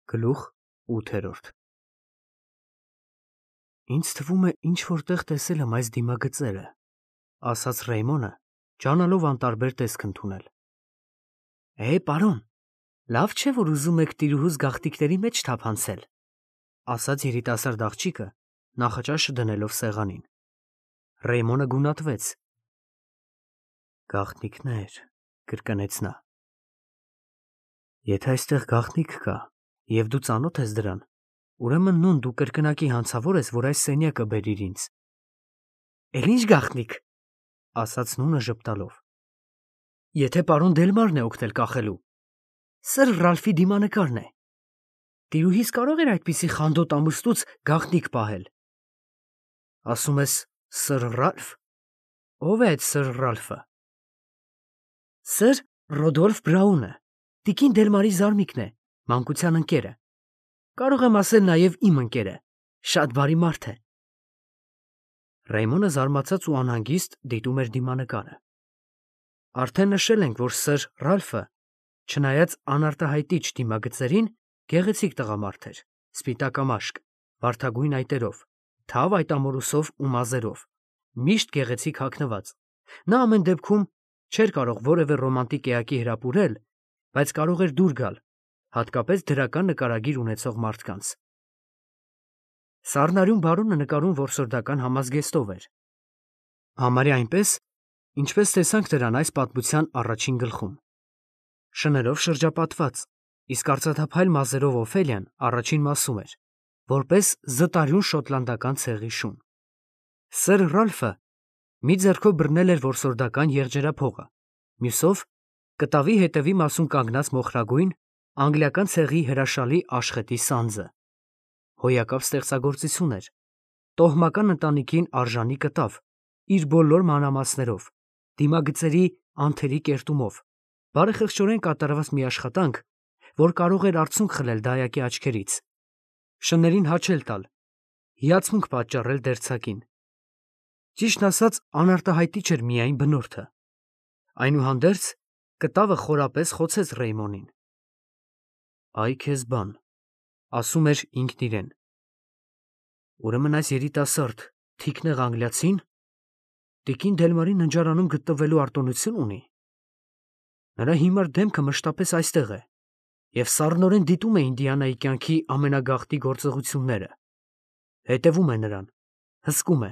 Գլուխ 8 Ինձ թվում է ինչ-որ տեղ տեսել եմ այս դիմագծերը, ասաց Ռեյմոնը, ջանալով անտարբեր տեսք ընդունել։ Պարոն, լավ չէ, որ ուզում եք տիրուհուս գաղտնիքների մեջ թափանցել, ասաց երիտասարդ աղջիկը, նախաճաշը դնելով սեղանին։ Ռեյմոնը գունատվեց։ Գաղտնիքներ, կրկնեց նա։ Եթե այստեղ գաղտնիք կա, և դու ծանոթ ես դրան, ուրեմն նույն դու կրկնակի հանցավոր ես, որ այս սենյակը բերիր ինձ։ Էլ ինչ գաղտնիք, ասաց նունը ժպտալով։ Եթե պարոն Դելմարն է օգնել կախելու, Սըր Ռալֆի դիմանկարն է։ Տիրուհիս կարող էր այդպիսի խանդոտ ամուսնուց գաղտնիք պահել։ Ասում ես Սըր Ռալֆ։ Ո՞վ է այդ Սըր Ռալֆը։ Սըր Ռոդոլֆ Բրաունը, տիկին Դելմարի զարմիկն է, մանկության ընկերը։ Կարող եմ ասել նաև իմ ընկերը, շատ բարի մարդ է։ Ռեյմոնը զարմացած ու անհանգիստ դիտում էր դիմանկարը։ Արդեն նշել ենք, որ Սըր Ռալֆը, չնայած անարտահայտիչ դիմագծերին, գեղեցիկ տղամարդ էր, սպիտակամաշկ, վարդագույն այտերով, թավ այտամորուսով ու մազերով, միշտ գեղեցիկ հագնված։ Նա ամեն դեպքում չէր կարող որևէ ռոմանտիկ էակի հրապուրել, բայց կարող էր դուր գալ, հատկապես դրական նկարագիր ունեցող մարդկանց։ Սառնարյուն բարոնը նկարում որսորդական համազգեստով էր։ Համարյա այնպես, ինչպես տեսանք նրան այս պատմության առաջին գլխում։ Շներով շրջապատված, իսկ արծաթափայլ մազերով Օֆելիան առաջին մասում էր, որպես զտարյուն շոտլանդական ցեղի շուն։ Սըր Ռալֆը մի ձեռքով բռնել էր որսորդական եղջերափողը, մյուսով կտավի հետևի մասում կանգնած մոխրագույն անգլիական ցեղի հրաշալի աշխետի սանձը։ Հոյակապ ստեղծագործություն էր, տոհմական ընտանիքին արժանի կտավ, իր բոլոր մանրամասներով, դիմագծերի անթերի կերտումով, բարեխղճորեն կատարված մի աշխատանք, որ կարող էր արցունք խլել դայակի աչքերից, շներին հաչել տալ, հիացմունք պատճառել դերձակին։ Ճիշտն ասած, անարտահայտիչ էր միայն բնորդը։ Այնուհանդերձ, կտավը խորապես խոցեց Ռեյմոնին։ Այ քեզ բան, ասում էր ինքն իրեն։ Ուրեմն այս երիտասարդ, թիկնեղ անգլիացին տիկին Դելմարի ննջարանում գտնվելու արտոնություն ունի։ Նրա հիմար դեմքը մշտապես այստեղ է, և սառնորեն դիտում է Ինդիանայի կյանքի ամենագաղտնի գործողությունները, հետևում է նրան, հսկում է,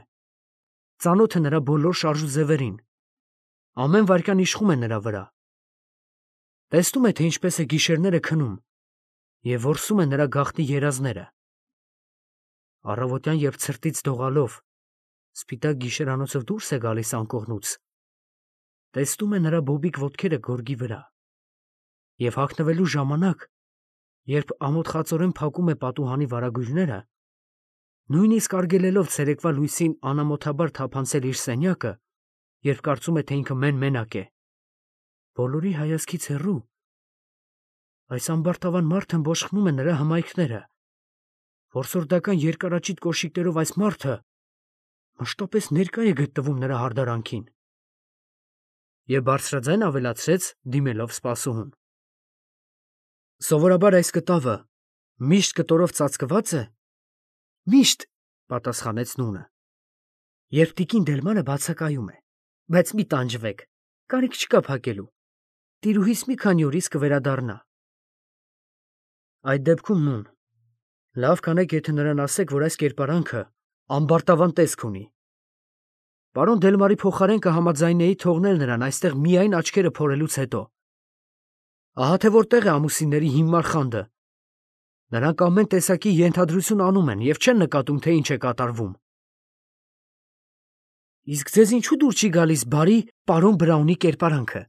ծանոթ է նրա բոլոր շարժուձևերին, ամեն վայրկյան իշխում է նրա վրա, տեսնում է, թե ինչպես է գիշերները քնում և որսում է նրա գաղտնի երազները։ Առավոտյան, երբ ցրտից դողալով սպիտակ գիշերանոցով դուրս է գալիս անկողնուց, տեսնում է նրա բոբիկ ոտքերը գորգի վրա, և հագնվելու ժամանակ, երբ ամոթխածորեն փակում է պատուհանի վարագույրները, նույնիսկ արգելելով ցերեկվա լույսին անամոթաբար թափանցել իր սենյակը, երբ կարծում է, թե ինքը մեն֊մենակ է, բոլորի հայացքից հեռու, այս ամբարտավան մարդն բոշխնում է նրա հմայքները, որսորդական երկարաճիտ կոշիկներով այս մարդը մշտապես ներկա է գտնվում նրա հարդարանքին։ Եվ բարձրաձայն ավելացրեց, դիմելով սպասուհուն. Սովորաբար այս կտավը միշտ կտորով ծածկվա՞ծ է։ Միշտ, պատասխանեց նունը։ Երբ տիկին Դելմարը բացակայում է, բայց մի տանջվեք, կարիք չկա փակելու։ Տիրուհիս մի քանի օրից կվերադառնա։ Այդ դեպքում նուն, լավ կանեք, եթե նրան ասեք, որ այս կերպարանքը ամբարտավան տեսք ունի։ Պարոն Դելմարի փոխարեն կհամաձայնեի թողնել նրան այստեղ միայն աչքերը փորելուց հետո։ Ահա թե որտեղ է ամուսինների հիմար խանդը։ Նրանք ամեն տեսակի ենթադրություն անում են և չեն նկատում, թե ինչ է կատարվում։ Իսկ ձեզ ինչու դուր չի գալիս բարի պարոն Բրաունի կերպարանքը,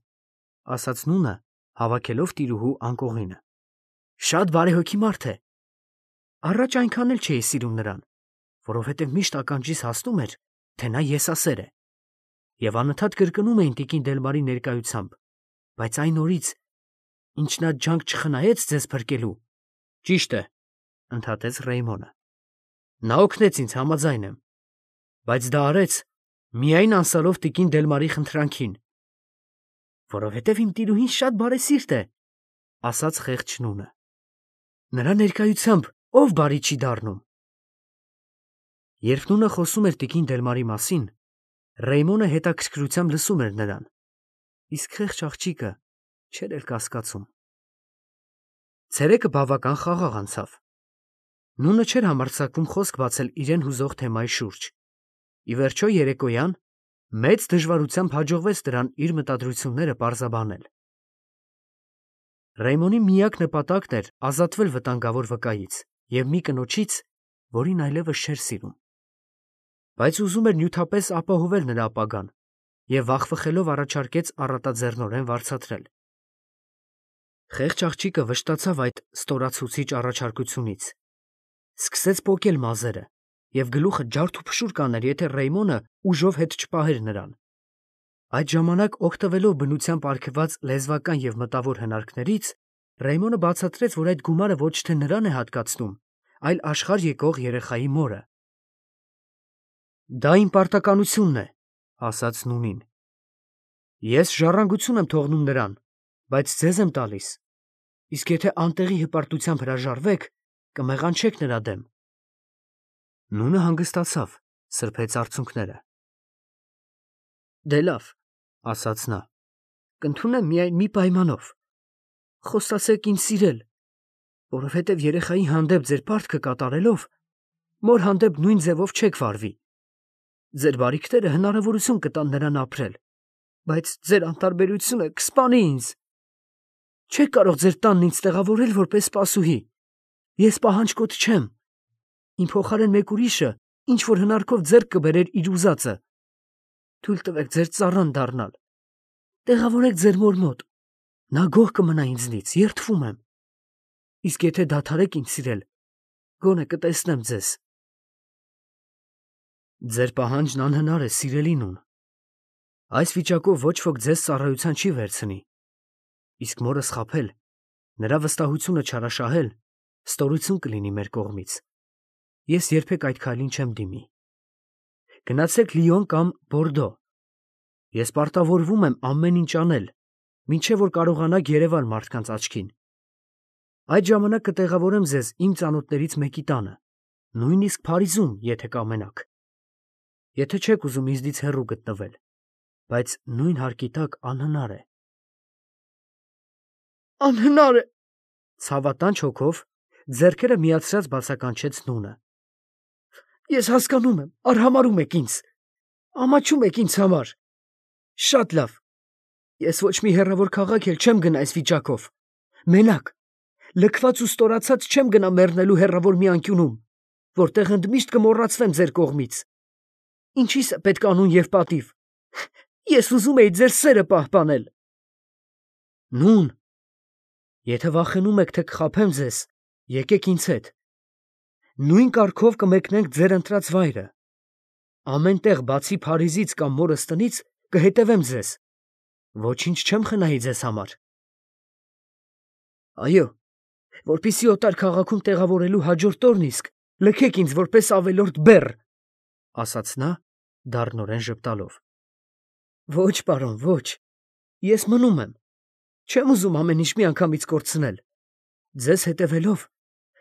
ասաց նունը, հավաքելով տիրուհու անկողինը։ Շատ բարեհոգի մարդ է։ Առաջ այնքան էլ չէի սիրում նրան, որովհետև միշտ ականջիս հասնում էր, թե նա եսասեր է, և անընդհատ կրկնում էին տիկին Դելմարի ներկայությամբ, բայց այն օրից, ինչ նա ջանք չխնայեց ձեզ փրկելու։ Ճիշտ է, ընդհատեց Ռեյմոնը։ Նա օգնեց ինձ, համաձայն եմ, բայց դա արեց միայն անսալով տիկին Դելմարի խնդրանքին։ Որովհետև իմ տիրուհին շատ բարեսիրտ է, ասաց խեղճ նունը։ Նրա ներկայությամբ ով բարի չի դառնում։ Երբ նունը խոսում էր տիկին Դելմարի մասին, Ռեյմոնը հետաքրքրությամբ լսում էր նրան, իսկ խեղճ աղջիկը չէր էլ կասկածում։ Ցերեկը բավական խաղաղ անցավ։ Նունը չէր համարձակվում խոսք բացել իրեն հուզող թեմայի շուրջ։ Ի վերջո երեկոյան մեծ դժվարությամբ հաջողվեց նրան իր մտադրությունները պարզաբանել։ Ռեյմոնի միակ նպատակն էր ազատվել վտանգավոր վկայից և մի կնոջից, որին այլևս չէր սիրում։ Բայց ուզում էր նյութապես ապահովել նրա ապագան և վախվխելով առաջարկեց առատաձեռնորեն վարձատրել։ Խեղճ աղջիկը վշտացավ այդ ստորացուցիչ առաջարկությունից, սկսեց պոկել մազերը և գլուխը ջարդուփշուր կաներ, եթե Ռեյմոնը ուժով հետ չպահեր նրան։ Այդ ժամանակ, օգտվելով բնությամբ արգելված լեզվական և մտավոր հնարքներից, Ռեյմոնը բացատրեց, որ այդ գումարը ոչ թե նրան է հատկացնում, այլ աշխարհ եկող երեխայի մորը։ Դա իմ պարտականությունն է, ասաց նունին։ Ես ժառանգություն եմ թողնում նրան, բայց ձեզ եմ տալիս, իսկ եթե անտեղի հպարտությամբ հրաժարվեք, կմեղանչեք նրա դեմ։ Նունը հանգստացավ, սրբեց արցունքները։ Դե լավ, ասաց նա, կընդունեմ միայն մի պայմանով. խոստացեք ինձ սիրել, որովհետև երեխայի հանդեպ ձեր պարտքը կատարելով, մոր հանդեպ նույն ձևով չեք վարվի։ Ձեր բարիքները հնարավորություն կտան նրան ապրել, բայց ձեր անտարբերությունը կսպանի ինձ։ Չեք կարող ձեր տանն ինձ տեղավորել որպես սպասուհի։ Ես պահանջկոտ չեմ։ Իմ փոխարեն մեկ ուրիշը ինչ-որ հնարքով ձեռք կբերեր իր ուզածը։ Թույլ տվեք ձեր ծառան դառնալ։ Տեղավորեք ձեր մոր մոտ։ Նա գոհ կմնա ինձնից, երդվում եմ։ Իսկ եթե դադարեք ինձ սիրել, գոնե կտեսնեմ ձեզ։ Ձեր պահանջն անհնար է, սիրելի նուն։ Այս վիճակով ոչ ոք ձեզ ծառայության չի վերցնի։ Իսկ մորս խաբել, նրա վստահությունը չարաշահել, ստորություն կլինի մեր կողմից։ Ես երբեք այդ քայլին չեմ դիմի։ Գնացեք Լիոն կամ Բորդո։ Ես պարտավորվում եմ ամեն ինչ անել, մինչև որ կարողանաք երևալ մարդկանց աչքին։ Այդ ժամանակ կտեղավորեմ ձեզ իմ ծանոթներից մեկի տանը, նույնիսկ Փարիզում, եթե կամենաք։ Եթե չեք ուզում ինձնից հեռու գտնվել, բայց նույն հարկի տակ անհնար է։ Անհնար է, ցավատանչ հոգով ձեռքերը միացրած բացականչեց նունը։ Ես հասկանում եմ, արհամարհում եք ինձ, ամաչում եք ինձ համար։ Շատ լավ։ Ես ոչ մի հեռավոր քաղաք էլ չեմ գնա այս վիճակով։ Մենակ, լքված ու ստորացած չեմ գնա մեռնելու հեռավոր մի անկյունում, որտեղ ընդմիշտ կմոռացվեմ ձեր կողմից։ Ինչի՞ս է պետք անուն և պատիվ։ Ես ուզում էի ձեր սերը պահպանել։ Նուն, եթե վախենում եք, թե կխաբեմ ձեզ, եկեք ինձ հետ։ Նույն կարգով կմեկնենք ձեր ընտրած վայրը։ Ամեն տեղ, բացի Փարիզից կամ մորս տնից, կհետևեմ ձեզ։ Ոչինչ չեմ խնայի ձեզ համար։ Այո, որպեսզի օտար քաղաքում տեղավորելու հաջորդ օրն իսկ լքեք ինձ որպես ավելորդ բեռ, ասաց նա, դառնորեն ժպտալով։ Ոչ, պարոն, ոչ, ես մնում եմ, չեմ ուզում ամեն ինչ միանգամից կորցնել։ Ձեզ հետևելով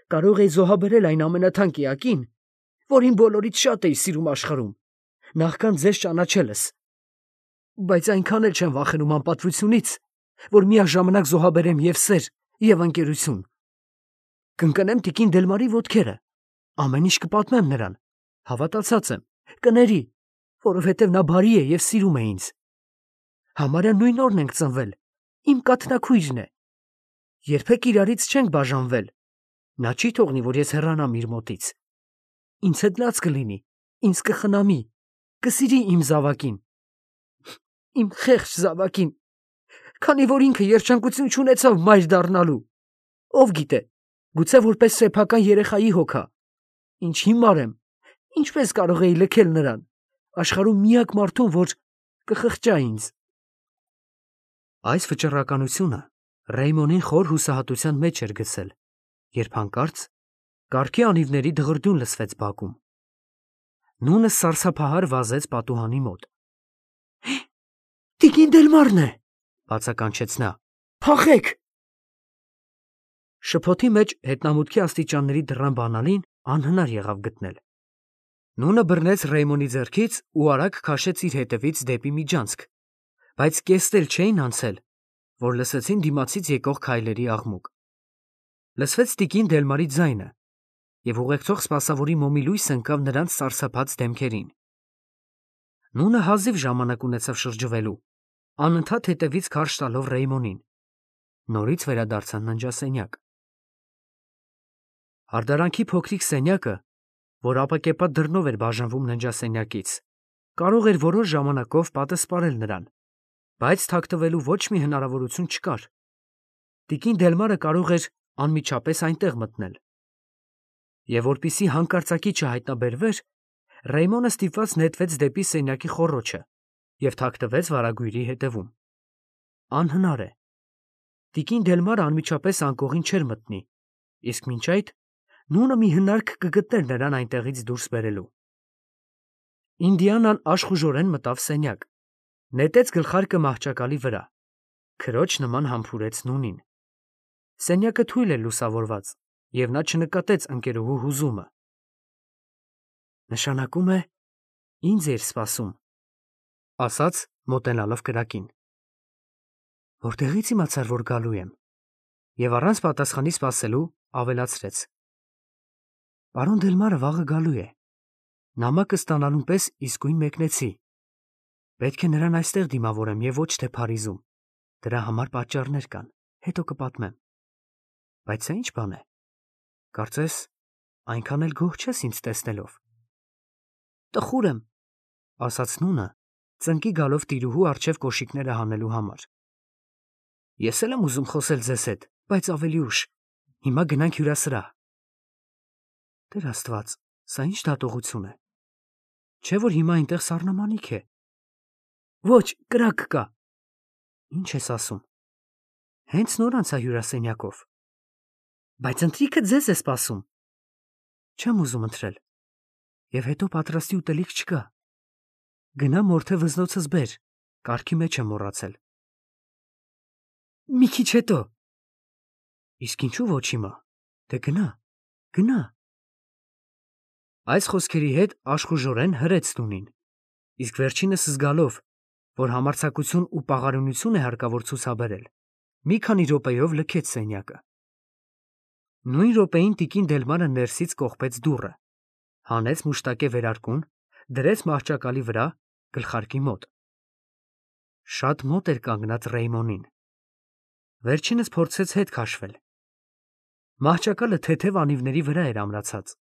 կարող էի զոհաբերել այն ամենաթանկ էակին, որին բոլորից շատ էի սիրում աշխարհում, նախքան ձեզ ճանաչելս։ Բայց այնքան էլ չեմ վախենում անպատվությունից, որ միաժամանակ զոհաբերեմ և սեր, և ընկերություն։ Կընկնեմ տիկին Դելմարի ոտքերը, ամեն ինչ կպատմեմ նրան, հավատացած եմ, կների, որովհետև նա բարի է և սիրում է ինձ։ Համարյա նույն օրն ենք ծնվել, իմ կաթնակույրն է։ Երբեք իրարից չենք բաժանվել։ Նա չի թողնի, որ ես հեռանամ իր մոտից։ Ինձ հետ լաց կլինի, ինձ կխնամի, կսիրի իմ զավակին։ Իմ խեղճ զավակին, քանի որ ինքը երջանկություն չունեցավ մայր դառնալու։ Ով գիտե, գուցե որպես սեփական երեխայի հոգա։ Ինչ հիմար եմ, ինչպես կարող էի լքել նրան, աշխարհում միակ մարդուն, որ կխղճա ինձ։ Այս վճռականությունը Ռեյմոնին խոր հուսահատության մեջ էր գցել, երբ հանկարծ կառքի անիվների դղրդյուն լսվեց բակում։ Նունը սարսափահար վազեց պատուհանի մոտ։ Տիկին Դելմարն է, բացականչեց նա։ Փախեք։ Շփոթի մեջ հետնամուտքի աստիճանների դռան բանալին անհնար եղավ գտնել։ Նունը բռնեց Ռեյմոնի ձեռքից ու արագ քաշեց իր հետևից դեպի միջանցք, բայց կեստ էլ չէին անցել, որ լսեցին դիմացից եկող քայլերի աղմուկ։ Լսվեց տիկին Դելմարի ձայնը, և ուղեկցող սպասավորի մոմի լույսը ընկավ նրանց սարսափած դեմքերին։ Նունը հազիվ ժամանակ ունեցավ շրջվելու, անընդհատ հետևից քարշ տալով Ռեյմոնին։ Նորից վերադարձան ննջասենյակ։ Հարդարանքի փոքրիկ սենյակը, որ ապակեպատ դռնով էր բաժանվում ննջասենյակից, կարող էր որոշ ժամանակով պատը սպառել նրան, բայց թաքնվելու ոչ մի հնարավորություն չկար։ Տիկին Դելմարը կարող էր անմիջապես այնտեղ մտնել։ Եվ որպեսզի հանկարծակի չհայտնաբերվեր, Ռեյմոնը ստիպված նետվեց դեպի սենյակի խոռոչը և թաքնվեց վարագույրի հետևում։ Անհնար է։ Տիկին Դելմարը անմիջապես անկողին չէր մտնի, իսկ մինչ այդ Նունը մի հնարք կգտներ նրան այնտեղից դուրս բերելու։ Ինդիանան աշխուժորեն մտավ սենյակ, նետեց գլխարկը մահճակալի վրա, քրոջ նման համբուրեց Նունին։ Սենյակը թույլ էր լուսավորված, և նա չնկատեց ընկերուհու հուզումը։ Նշանակում է, ինձ էր սպասում, ասաց, մոտենալով կրակին։ Որտեղից իմացար, որ գալու եմ, և առանց պատասխանի սպասելու ավելացրեց. Պարոն Դելմարը վաղը գալու է, նամակը ստանալուն պես իսկույն մեկնեցի։ Պետք է նրան այստեղ դիմավորեմ և ոչ թե Փարիզում, դրա համար պատճառներ կան, հետո կպատմեմ։ Բայց սա ի՞նչ բան է, կարծես այնքան էլ գոհ չես ինձ տեսնելով։ Տխուր եմ, ասաց Նունը, ծնկի գալով տիրուհու առջև կոշիկները հանելու համար։ Ես էլ եմ ուզում խոսել ձեզ հետ, բայց ավելի ուշ, հիմա գնանք հյուրասրահ։ Տեր Աստված, սա ի՞նչ դատողություն է։ Չէ՞ որ հիմա այնտեղ սառնամանիք է։ Ոչ, կրակ կա։ Ինչ ես ասում։ Հենց նոր անցա հյուրասենյակով։ Բայց ընթրիքը ձեզ է սպասում։ Չեմ ուզում ընթրել։ Եվ հետո պատրաստի ուտելիք չկա։ Գնա մորթե վզնոցս բեր, կարգի մեջ եմ մոռացել։ Մի քիչ հետո։ Իսկ ինչու ոչ հիմա։ Դե գնա, գնա։ Այս խոսքերի հետ աշխուժորեն հրեց Նունին, իսկ վերջինս զգալով, որ համարձակություն ու պաղարունություն է հարկավոր ցուցաբերել, մի քանի րոպեով լքեց սենյակը։ Նույն րոպեին տիկին Դելմարը ներսից կողպեց դուռը, հանեց մուշտակե վերարկուն, դրեց մահճակալի վրա, գլխարկի մոտ։ Շատ մոտ էր կանգնած Ռեյմոնին։ Վերջինս փորձեց հետ քաշվել։ Մահճակալը թեթև անիվների վրա էր ամրացած։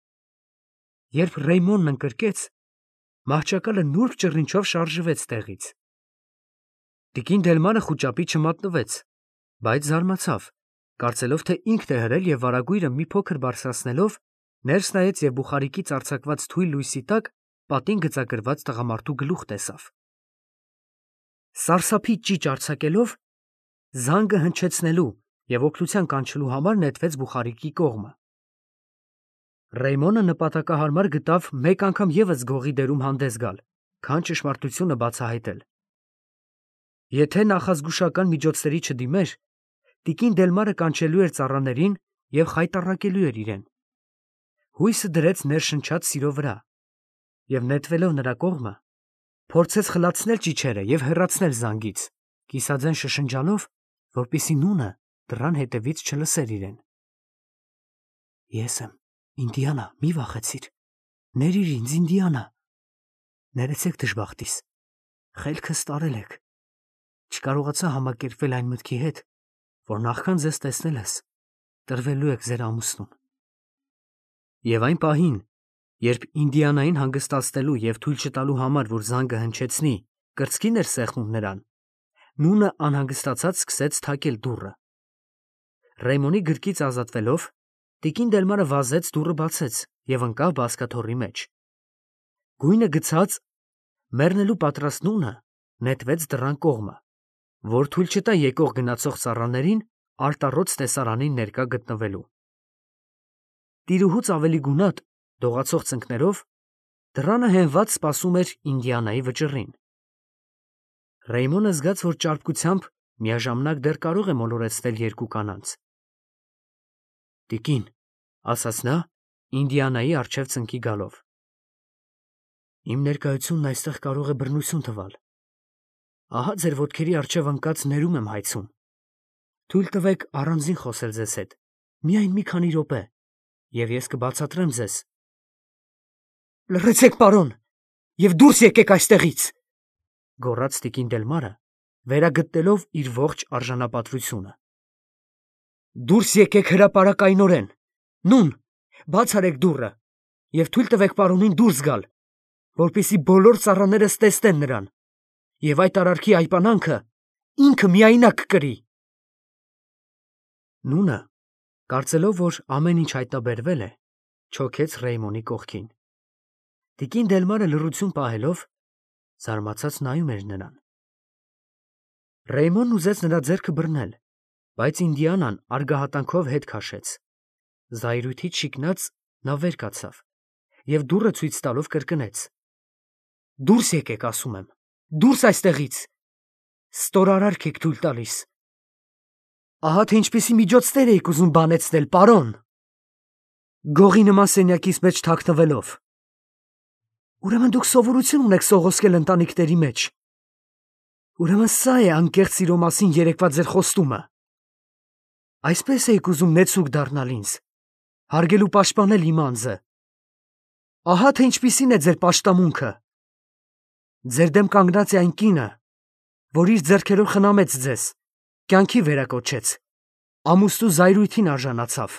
Երբ Ռեյմոնն ընկրկեց, մահճակալը նուրբ ճռինչով շարժվեց տեղից։ Տիկին Դելմարը խուճապի չմատնվեց, բայց զարմացավ, կարծելով, թե ինքն է հրել և վարագույրը մի փոքր բարձրացնելով, ներս նայեց և բուխարիկից արձակված թույլ լույսի տակ պատին գծագրված տղամարդու գլուխ տեսավ։ Սարսափի ճիչ արձակելով, զանգը հնչեցնելու և օգնության կանչելու համար նետվեց բուխարիկի կողմը։ Ռեյմոնը նպատակահարմար գտավ մեկ անգամ ևս գողի դերում հանդես գալ, քան ճշմարտությունը բացահայտել։ Եթե նախազգուշական միջոցների չդիմեր, տիկին Դելմարը կանչելու էր ծառաներին և խայտառակելու էր իրեն։ Հույսը դրեց ներշնչած սիրո վրա և, նետվելով նրա կողմը, փորձեց խլացնել ճիչերը և հեռացնել զանգից, կիսաձայն շշնջալով, որպեսզի Նունը դռան հետևից չլսեր իրեն։ Ես եմ, Ինդիանա, մի վախեցիր։ Ներիր ինձ, Ինդիանա։ Ներեցեք դժբախտիս։ Խելքս տարել եք։ Չկարողացա համակերպվել այն մտքի հետ, որ նախքան ձեզ տեսնելս, տրվելու եք ձեր ամուսնուն։ Եվ այն պահին, երբ Ինդիանային հանգստացնելու և թույլ չտալու համար, որ զանգը հնչեցնի, կրծքին էր սեղմում նրան, Նունը անհանգստացած սկսեց թակել դուռը։ Ռեյմոնի գրկից ազատվելով, տիկին Դելմարը վազեց դուռը բացեց և ընկավ բազկաթոռի մեջ։ Գույնը գցած, մեռնելու պատրաստ Նունը նետվեց դռան կողմը, որ թույլ չտա եկող գնացող ծառաներին արտառոց տեսարանին ներկա գտնվելու։ Տիրուհուց ավելի գունատ, դողացող ծնկներով դռանը հենված սպասում էր Ինդիանայի վճռին։ Ռեյմոնը զգաց, որ ճարպկությամբ միաժամանակ դեռ կարող է մոլորեցնել երկու կանանց։ Տիկին, ասաց նա, Ինդիանայի առջև ծնկի գալով։ Իմ ներկայությունն այստեղ կարող է բռնություն թվալ։ Ահա ձեր ոտքերի առջև ընկած ներում եմ հայցում։ Թույլ տվեք առանձին խոսել ձեզ հետ, միայն մի քանի րոպե, և ես կբացատրեմ ձեզ։ Լռեցեք, պարոն, և դուրս եկեք այստեղից, գոռաց տիկին Դելմարը, վերագտնելով իր ողջ արժանապատվությունը։ Դուրս եկեք հրապարակայնորեն, նուն, բաց արեք դուռը և թույլ տվեք պարոնին դուրս գալ, որպեսզի բոլոր ծառաներս տեսնեն նրան, և այդ արարքի այպանանքը ինքը միայնակ կրի։ Նունը, կարծելով, որ ամեն ինչ հայտնաբերվել է, չոքեց Ռեյմոնի կողքին։ Տիկին Դելմարը լռություն պահելով, զարմացած նայում էր նրան։ Ռեյմոնն ուզեց նրա ձեռքը բռնել, բայց Ինդիանան արգահատանքով հետ քաշեց։ Զայրույթից շիկնած նա վեր կացավ և դուռը ցույց տալով կրկնեց. Դուրս եկեք, ասում եմ, դուրս այստեղից, ստորարարք եք թույլ տալիս։ Ահա թե ինչպիսի միջոցներ էիք ուզում բանեցնել, պարոն, գողի նման սենյակիս մեջ թաքնվելով։ Ուրեմն դուք սովորություն ունեք սողոսկել ընտանիքների մեջ։ Ուրեմն սա է անկեղծ սիրո մասին երեկվա ձեր խոստումը։ Այսպես էիք ուզում նեցուկ դառնալ ինձ, հարգել ու պաշտպանել իմ անձը։ Ահա թե ինչպիսին է ձեր պաշտամունքը։ Ձեր դեմ կանգնած է այն կինը, որ իր ձեռքերով խնամեց ձեզ, կյանքի վերակոչեց, ամուսնու զայրույթին արժանացավ։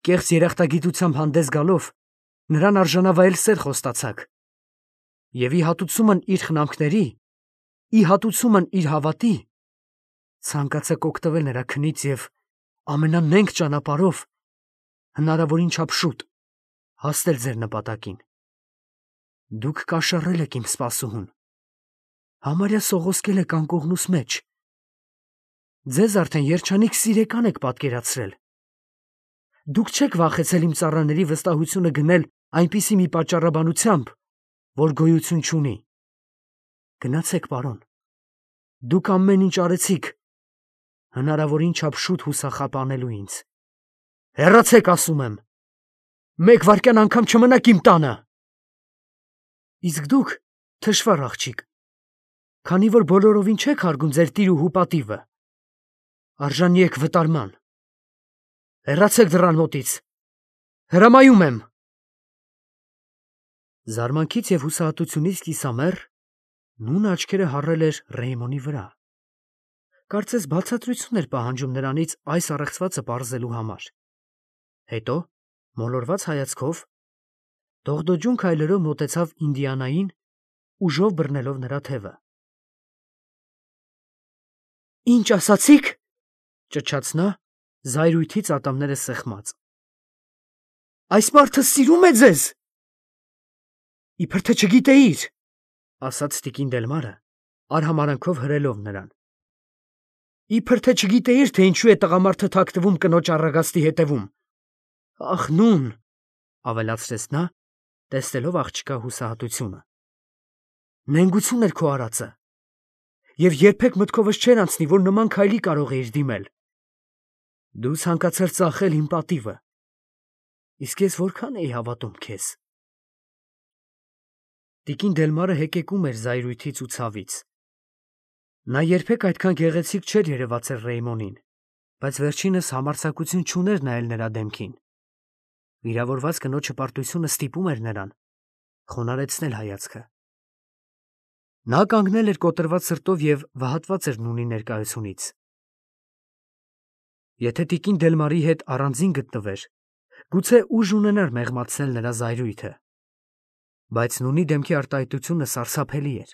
Կեղծ երախտագիտությամբ հանդես գալով, նրան արժանավայել սեր խոստացաք։ Եվ ի հատուցումն իր խնամքների, ի հատուցումն իր հավատի, ցանկացաք օգտվել նրա քնից և ամենանենգ ճանապարհով, հնարավորին չափ շուտ, հասնել ձեր նպատակին։ Դուք կաշառել եք իմ սպասուհուն, համարյա սողոսկել եք անկողնուս մեջ։ Ձեզ արդեն երջանիկ սիրեկան եք պատկերացրել։ Դուք չեք վախեցել իմ ծառաների վստահությունը գնել այնպիսի մի պատճառաբանությամբ, որ գոյություն չունի։ Գնացեք, պարոն, դուք ամեն ինչ արեցիք, հնարավորին չափ շուտ հուսախաբ անելու ինձ։ Հեռացեք, ասում եմ, մեկ վայրկյան անգամ չմնաք իմ տանը։ Իսկ դուք, թշվառ աղջիկ, քանի որ բոլորովին չեք հարգում ձեր տիր ու հուպատիվը, արժանի եք վտարման։ Հեռացեք դռան մոտից, հրամայում եմ։ Զարմանքից և հուսահատությունից կիսամեռ, նունը աչքերը հառել էր Ռեյմոնի վրա։ Կարծես բացատրություն էր պահանջում նրանից այս առեղծվածը պարզելու համար։ Հետո, մոլորված հայացքով, դողդոջուն քայլերով մոտեցավ Ինդիանային, ուժով բռնելով նրա թևը։ Ինչ ասացիք, ճչաց նա, զայրույթից ատամները սեղմած։ Այս մարդը սիրում է ձեզ։ Իբր թե չգիտեիր, ասաց տիկին Դելմարը, արհամարանքով հրելով նրան։ Իբր թե չգիտեիր, թե ինչու է տղամարդը թաքնվում կնոջ առագաստի հետևում։ Ախ, նուն, ավելացրեց նա, տեսնելով աղջկա հուսահատությունը։ Նենգություն էր քո արածը, և երբեք մտքովս չէր անցնի, որ նման քայլի կարող էիր դիմել։ Դու ցանկացար ծախել իմ պատիվը, իսկ ես որքան էի հավատում քեզ։ Տիկին Դելմարը հեկեկում էր զայրույթից ու ցավից։ Նա երբեք այդքան գեղեցիկ չէր երևացել Ռեյմոնին, բայց վերջինս համարձակություն չուներ նայել նրա դեմքին։ Վիրավորված կնոջ հպարտությունը ստիպում էր նրան խոնարհեցնել հայացքը։ Նա կանգնել էր կոտրված սրտով և վհատված էր նունի ներկայությունից։ Եթե տիկին Դելմարի հետ առանձին գտնվեր, գուցե ուժ ունենար մեղմացնել նրա զայրույթը, բայց նունի դեմքի արտահայտությունը սարսափելի էր։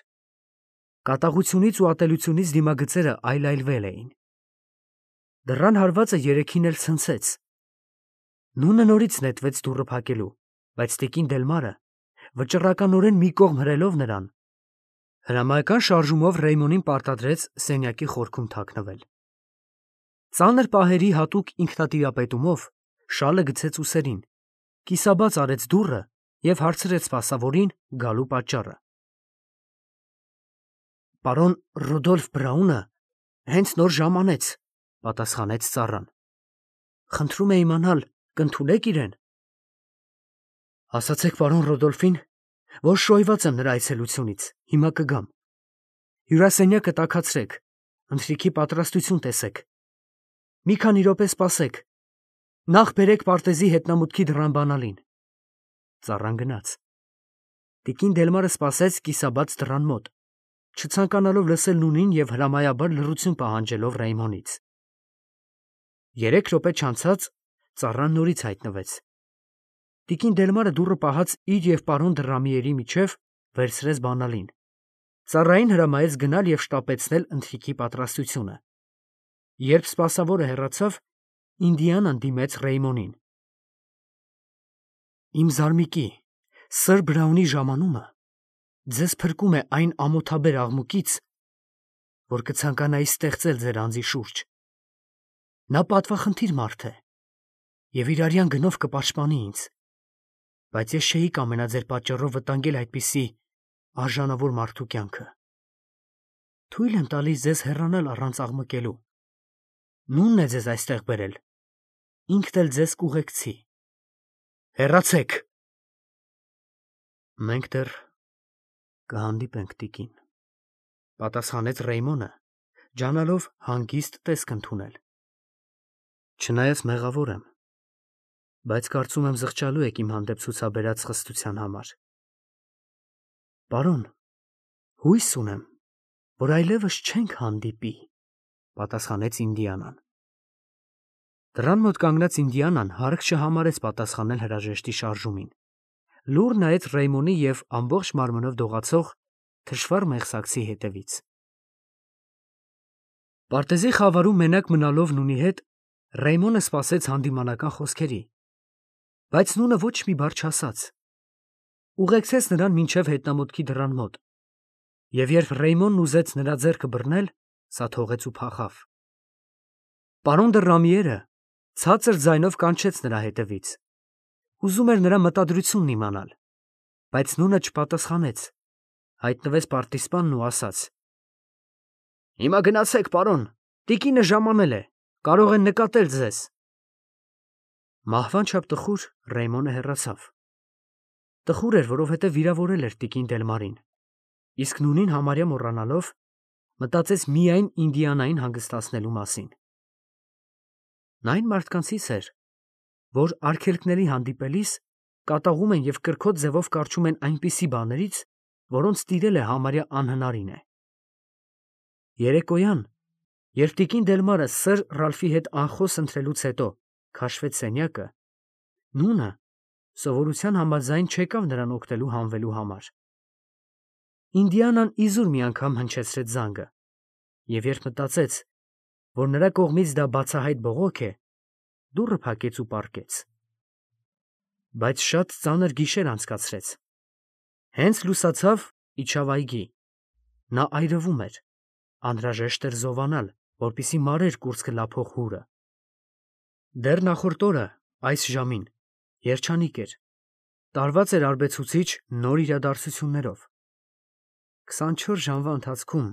Կատաղությունից ու ատելությունից դիմագծերը այլայլվել էին։ Դռան հարվածը երեքին էլ ցնցեց։ Նունը նորից նետվեց դուռը փակելու, բայց տիկին Դելմարը, վճռականորեն մի կողմ հրելով նրան, հրամայական շարժումով Ռեյմոնին պարտադրեց սենյակի խորքում թաքնվել։ Ծանր պահերի հատուկ ինքնատիրապետումով շալը գցեց ուսերին, կիսաբաց արեց դուռը և հարցրեց սպասավորին գալու պատճառը։ Պարոն Ռուդոլֆ Բրաունը հենց նոր ժամանեց, պատասխանեց ծառան։ Խնդրում է իմանալ, կընդունեք իրեն։ Ասացեք պարոն Ռոդոլֆին, որ շոյված եմ նրա այցելությունից, հիմա կգամ։ Հյուրասենյակը տաքացրեք, ընթրիքի պատրաստություն տեսեք։ Մի քանի րոպե սպասեք, նախ բերեք պարտեզի հետնամուտքի դռան բանալին։ Ծառան գնաց։ Տիկին Դելմարը սպասեց կիսաբաց դռան մոտ, չցանկանալով լսել նույնին և հրամայաբար լռություն պահանջելով Ռեյմոնից։ 3 րոպե չանցած ծառան նորից հայտնվեց։ Տիկին Դելմարը դուռը պահած իր և պարոն Դռամիերի միջև վերցրեց բանալին։ Ծառային հրամայեց գնալ և շտապեցնել ընթրիքի պատրաստությունը։ Երբ սպասավորը հեռացավ, Ինդիանան դիմեց Ռեյմոնին։ Իմ զարմիկի, սըր Բրաունի ժամանումը ձեզ փրկում է այն ամոթաբեր աղմուկից, որ կցանկանայի ստեղծել ձեր անձի շուրջ։ Նա պատվախնդիր մարդ է և իր արյան գնով կպաշտպանի ինձ, բայց ես չէի կամենա ձեր պատճառով վտանգել այդպիսի արժանավոր մարդու կյանքը։ Թույլ եմ տալիս ձեզ հեռանալ առանց աղմկելու։ Նունն է ձեզ այստեղ բերել, ինքն էլ ձեզ կուղեկցի։ Հեռացեք։ Մենք դեռ կհանդիպենք, տիկին, պատասխանեց Ռեյմոնը, ջանալով հանգիստ տեսք ընդունել։ Չնայած մեղավոր եմ, բայց կարծում եմ զղջալու եք իմ հանդեպ ցուցաբերած խստության համար։ Պարոն, հույս ունեմ, որ այլևս չենք հանդիպի, պատասխանեց Ինդիանան։ Դռան մոտ կանգնած Ինդիանան հարկ չհամարեց պատասխանել հրաժեշտի շարժումին։ Լուռ նայեց Ռեյմոնի և ամբողջ մարմնով դողացող թշվառ մեղսակցի հետևից։ Պարտեզի խավարում մենակ մնալով նունի հետ Ռեյմոնը սպասեց հանդիմանական խոսքերի, բայց նունը ոչ մի բառ չասաց։ Ուղեկցեց նրան մինչև հետնամուտքի դռան մոտ, և երբ Ռեյմոնն ուզեց նրա ձեռքը բռնել, սա թողեց ու փախավ։ Պարոն Դռամիերը ցածր ձայնով կանչեց նրա հետևից։ Ուզում էր նրա մտադրությունն իմանալ, բայց նունը չպատասխանեց, հայտնվեց պարտիզպանն ու ասաց. Հիմա գնացեք, պարոն, տիկինը ժամանել է, կարող են նկատել ձեզ։ Մահվան չափ տխուր Ռեյմոնը հեռացավ։ Տխուր էր, որովհետև վիրավորել էր տիկին Դելմարին, իսկ նունին համարյա մոռանալով, մտածեց միայն Ինդիանային հանգստացնելու մասին։ Նա այն մարդկանցից էր, որ արգելքների հանդիպելիս կատաղում են և կրքոտ ձևով կառչում են այնպիսի բաներից, որոնց տիրել է համարյա անհնարին է։ Երեկոյան, երբ տիկին Դելմարը սըր Ռալֆի հետ անխոս ընթրելուց հետո քաշվեց սենյակը, նունը սովորության համաձայն չեկավ նրան օգնելու հանվելու համար։ Ինդիանան իզուր մի անգամ հնչեցրեց զանգը, և երբ մտածեց, որ նրա կողմից դա բացահայտ բողոք է, դուռը փակեց ու պառկեց։ Բայց շատ ծանր գիշեր անցկացրեց։ Հենց լուսացավ, իջավ այգի։ Նա այրվում էր, անհրաժեշտ էր զովանալ, որպեսզի մարեր կուրծքը լափող հուրը։ Դեռ նախորդ օրը այս ժամին երջանիկ էր, տարված էր արբեցուցիչ նոր իրադարձություններով։ 24 ժամվա ընթացքում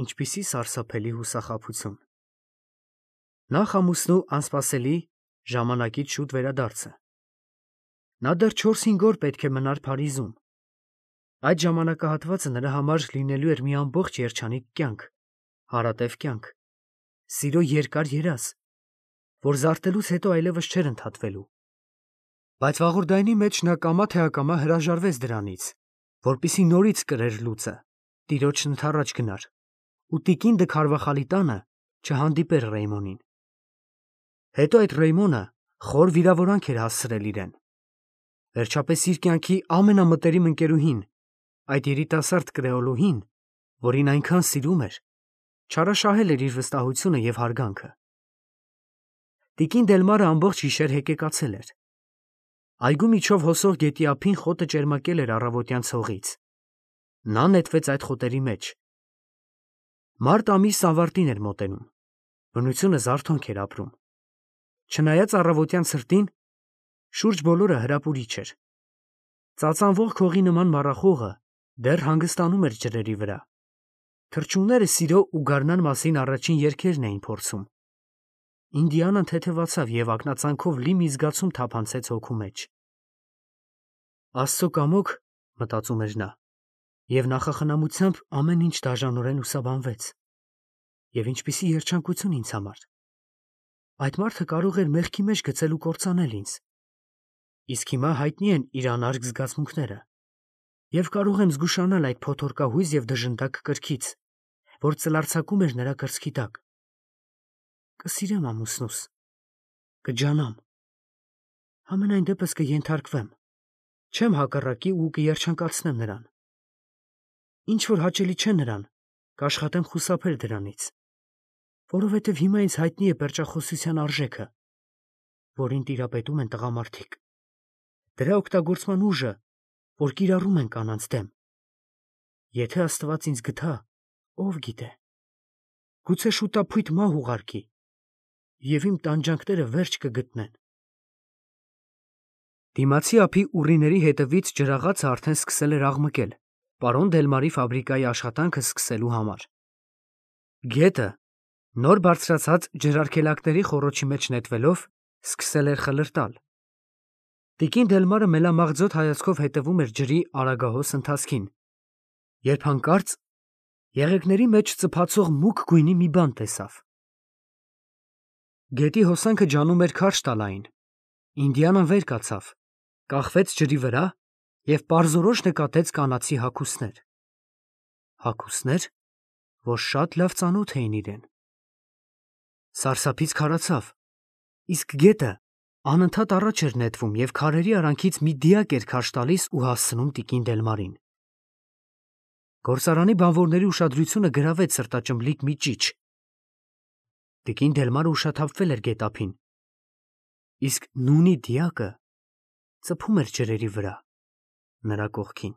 ինչպիսի սարսափելի հուսախաբություն։ Նախ ամուսնու անսպասելի ժամանակից շուտ վերադարձը։ Նա դեռ 4-5 օր պետք է մնար Փարիզում։ Այդ ժամանակահատվածը նրա համար լինելու էր մի ամբողջ երջանիկ կյանք, հարատև կյանք, սիրո երկար երազ, որ զարթելուց հետո այլևս չէր ընդհատվելու։ Բայց վաղորդայնի մեջ նա կամա թե ակամա հրաժարվեց դրանից, որպեսզի նորից կրեր լուծը, տիրոջն ընդառաջ գնար, ու տիկին Դքարվախալի տանը չհանդիպեր Ռեյմոնին։ Հետո այդ Ռեյմոնը խոր վիրավորանք էր հասցրել իրեն։ Վերջապես իր կյանքի ամենամտերիմ ընկերուհին, այդ երիտասարդ կրեոլուհին, որին այնքան սիրում էր, չարաշահել էր իր վստահությունը և հարգանքը։ Տիկին Դելմարը ամբողջ գիշեր հեկեկացել էր։ Այգու միջով հոսող գետի ափին խոտը ճերմակել էր առավոտյան ցողից։ Նա նետվեց այդ խոտերի մեջ։ Մարտ ամիս ավարտին էր մոտենում։ Բնությունը զարթոնք էր ապրում։ Չնայած առավոտյան ցրտին, շուրջ բոլորը հրապուրիչ էր։ Ծածանվող քողի նման մառախուղը դեռ հանգստանում էր ջրերի վրա։ Թռչունները սիրո ու գարնան մասին առաջին երգերն էին փորձում։ Ինդիանան թեթևացավ և ակնածանքով լի մի զգացում թափանցեց հոգու մեջ։ Աստծո կամոք, մտածում էր նա, և նախախնամությամբ ամեն ինչ դաժանորեն լուսաբանվեց։ Եվ ինչպիսի երջանկություն ինձ համար։ Այդ մարդը կարող էր մեղքի մեջ գցել ու կործանել ինձ։ Իսկ հիմա հայտնի են իր անարգ զգացմունքները, և կարող եմ զգուշանալ այդ փոթորկահույզ և դժնդակ կրքից, որ ծլարձակում էր նրա կրծքի տակ։ Կսիրեմ ամուսնուս, կջանամ, համենայն դեպս կենթարկվեմ, չեմ հակառակի ու կերջանկացնեմ նրան։ Ինչ որ հաճելի չէ նրան, կաշխատեմ խուսափել դրանից, որովհետև հիմա ինձ հայտնի է պերճախոսության արժեքը, որին տիրապետում են տղամարդիկ, դրա օգտագործման ուժը, որ կիրառում են կանանց դեմ։ Եթե Աստված ինձ գթա, ով գիտե, գուցե շուտափույթ մահ ուղարկի, և իմ տանջանքները վերջ կգտնեն։ Դիմացի ափի ուռիների հետևից ջրաղացը արդեն սկսել էր աղմկել, պարոն Դելմարի ֆաբրիկայի աշխատանքը սկսելու համար։ Գետը, նոր բարձրացած ջրարգելակների խոռոչի մեջ նետվելով, սկսել էր խլրտալ։ Տիկին Դելմարը մելամաղձոտ հայացքով հետևում էր ջրի արագահոս ընթացքին, երբ հանկարծ եղեգների մեջ ծփացող մուգ գույնի մի բան տեսավ։ Գետի հոսանքը ջանում էր քարշ տալ այն։ Ինդիանան վեր կացավ, կախվեց ջրի վրա և պարզորոշ նկատեց կանացի հագուստներ։ Հագուստներ, որ շատ լավ ծանոթ էին իրեն։ Սարսափից քարացավ, իսկ գետը անընդհատ առաջ էր նետվում և քարերի արանքից մի դիակ էր քարշ տալիս ու հասցնում տիկին Դելմարին։ Գործարանի բանվորների ուշադրությունը գրավեց սրտաճմլիկ մի ճիչ։ Տիկին Դելմարը ուշաթափվել էր գետափին, իսկ նունի դիակը ծփում էր ջրերի վրա, նրա կողքին։